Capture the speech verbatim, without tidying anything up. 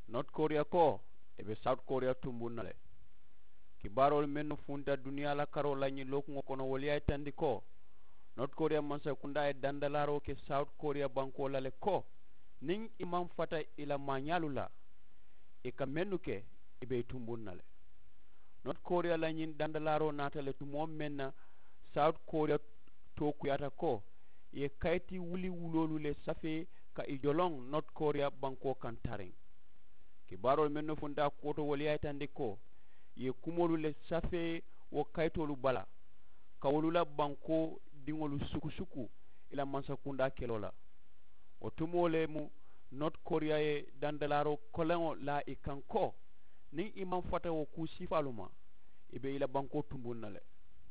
North korea ko ì be south korea tunbuŋ na le. Kibaaroolu mennu funta duniyaa la karoo la ñiŋ lookuŋo kono wolu ye a yitandi ko north korea mansakundaa ye dandalaaroo ke south korea bankoo la le ko niŋ ì maŋ fata ì la maañaalu la ì ka mennu ke ì be ì tunbuŋ na le. North korea la ñiŋ dandalaaroo naata le tumoo meŋ na south korea tookuyaata ko ì ye kayiti wuli wuloolu le safee ka ì joloŋ north korea bankoo kaŋ tariŋ. Kibaaroolu mennu funta a kuwo to wolu ye a yitandi ko ì ye kumoolu le safee wo kayitoolu bala ka wolu la bankoo diŋolu sukusuku ì la mansakundaa keloo la. Wo tumoo le mu north korea ye dandalaaroo koleŋo laa ì kaŋ ko niŋ ì maŋ fata wo kuu siifaalu ma ì be ì la bankoo tunbuŋ na le.